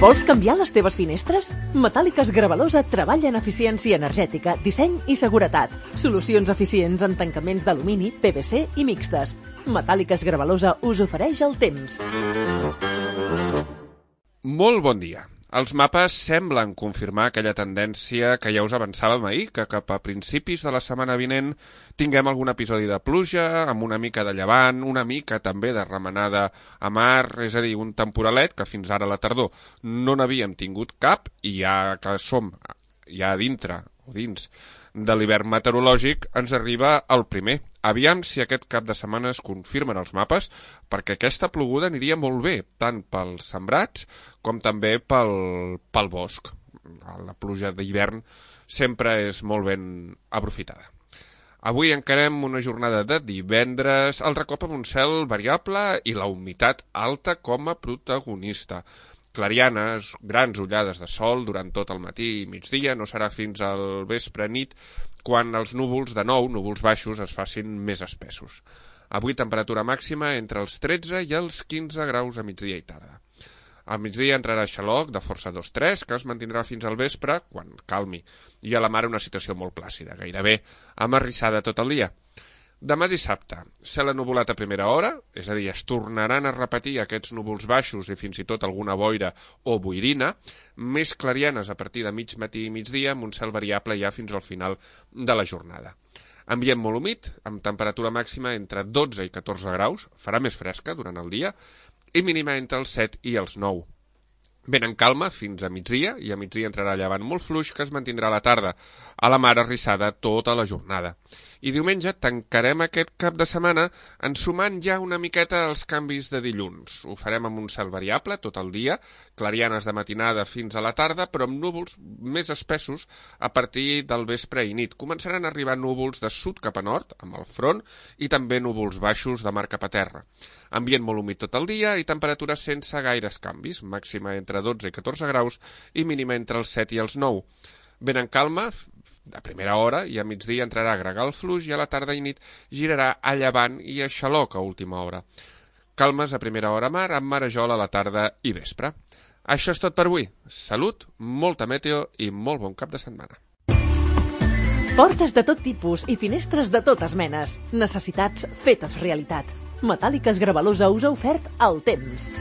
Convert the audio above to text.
Vols canviar les teves finestres? Metàl·liques Gravalosa treballa en eficiència energètica, disseny i seguretat. Solucions eficients en tancaments d'alumini, PVC i mixtes. Metàl·liques Gravalosa us ofereix el temps. Molt bon dia. Els mapes semblen confirmar aquella tendència que ja us avançàvem ahir, que cap a principis de la setmana vinent tinguem algun episodi de pluja, amb una mica de llevant, una mica també de remenada a mar, és a dir, un temporalet que fins ara a la tardor no n'havíem tingut cap, i ja que som ja dintre o dins de l'hivern meteorològic, ens arriba el primer. Aviam si aquest cap de setmana es confirmen els mapes, perquè aquesta ploguda aniria molt bé, tant pels sembrats com també pel bosc. La pluja d'hivern sempre és molt ben aprofitada. Avui encarem una jornada de divendres, altre cop amb un cel variable i la humitat alta com a protagonista. Clarianes, grans ullades de sol durant tot el matí i migdia, no serà fins al vespre-nit quan els núvols, de nou, núvols baixos, es facin més espessos. Avui temperatura màxima entre els 13 i els 15 graus a migdia i tarda. Al migdia entrarà xaloc de força 2-3, que es mantindrà fins al vespre, quan calmi, i a la mar una situació molt plàcida, gairebé amarrissada tot el dia. Demà dissabte, cel ennuvolat a primera hora, és a dir, es tornaran a repetir aquests núvols baixos i fins i tot alguna boira o boirina, més clarianes a partir de mig matí i migdia, amb un cel variable ja fins al final de la jornada. Ambient molt humit, amb temperatura màxima entre 12 i 14 graus, farà més fresca durant el dia, i mínima entre els 7 i els 9. Ben en calma fins a migdia, i a migdia entrarà llevant molt fluix que es mantindrà a la tarda, a la mar arrissada tota la jornada. I diumenge tancarem aquest cap de setmana ensumant ja una miqueta els canvis de dilluns. Ho farem amb un cel variable tot el dia, clarianes de matinada fins a la tarda, però amb núvols més espessos a partir del vespre i nit. Començaran a arribar núvols de sud cap a nord, amb el front, i també núvols baixos de mar cap a terra. Ambient molt humit tot el dia i temperatures sense gaires canvis, màxima entre 12 i 14 graus i mínima entre els 7 i els 9. Ben en calma, de primera hora, i a migdia entrarà a gregal fluix i a la tarda i nit girarà a llevant i a xaloc a última hora. Calmes a primera hora a mar, amb marejol a la tarda i vespre. Això és tot per avui. Salut, molta meteo i molt bon cap de setmana. Portes de tot tipus i finestres de totes menes. Necessitats fetes realitat. Metàl·liques Gravalosa us ha ofert el temps.